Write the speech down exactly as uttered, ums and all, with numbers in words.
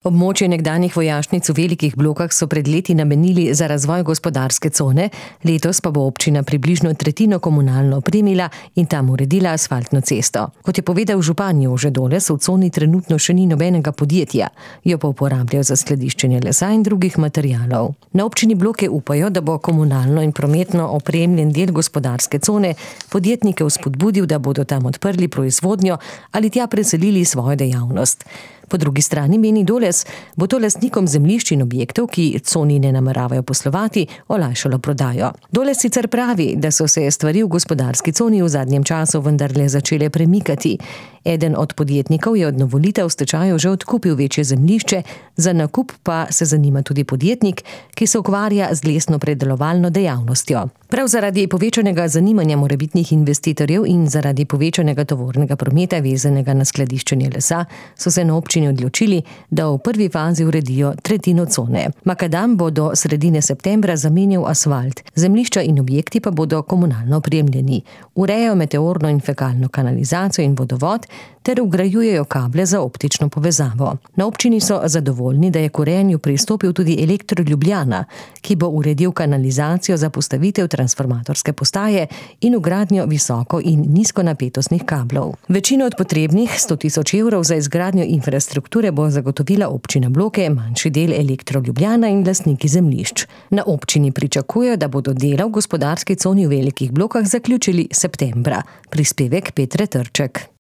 Območje nekdanjih vojašnic v Velikih Blokah so pred leti namenili za razvoj gospodarske cone, letos pa bo občina približno tretjino komunalno opremila in tam uredila asfaltno cesto. Kot je povedal župan Jože Doles, v coni trenutno še ni nobenega podjetja, jo pa uporabljajo za skladiščenje lesa in drugih materialov. Na občini Bloke upajo, da bo komunalno in prometno opremljen del gospodarske cone podjetnike vzpodbudil, da bodo tam odprli proizvodnjo ali tja preselili svojo dejavnost. Po drugi strani meni Doles, bo to lastnikom zemljišč in objektov, ki coni ne nameravajo poslovati, olajšalo prodajo. Doles sicer pravi, da so se stvari v gospodarski coni v zadnjem času vendarle začele premikati. Eden od podjetnikov je od novolitev v stečaju že odkupil večje zemljišče, za nakup pa se zanima tudi podjetnik, ki se ukvarja z lesno-predelovalno dejavnostjo. Prav zaradi povečanega zanimanja morebitnih investitorjev in zaradi povečanega tovornega prometa vezanega na skladiščenje lesa so se na občini odločili, da v prvi fazi uredijo tretjino cone. Makadam bo do sredine septembra zamenjal asfalt, zemljišča in objekti pa bodo komunalno opremljeni. Urejajo meteorno in fekalno kanalizacijo in vodovod ter vgrajujejo kable za optično povezavo. Na občini so zadovoljni, da je k urejanju pristopil tudi Elektro Ljubljana, ki bo uredil kanalizacijo za postavitev transformatorske postaje in vgradnjo visoko- in nizkonapetostnih kablov. Večino od potrebnih sto tisoč evrov za izgradnjo infrastrukture bo zagotovila občina Bloke, manjši del Elektro Ljubljana in lastniki zemljišč. Na občini pričakujejo, da bodo dela v gospodarski coni v Velikih Blokah zaključili septembra. Prispevek Petre Trček.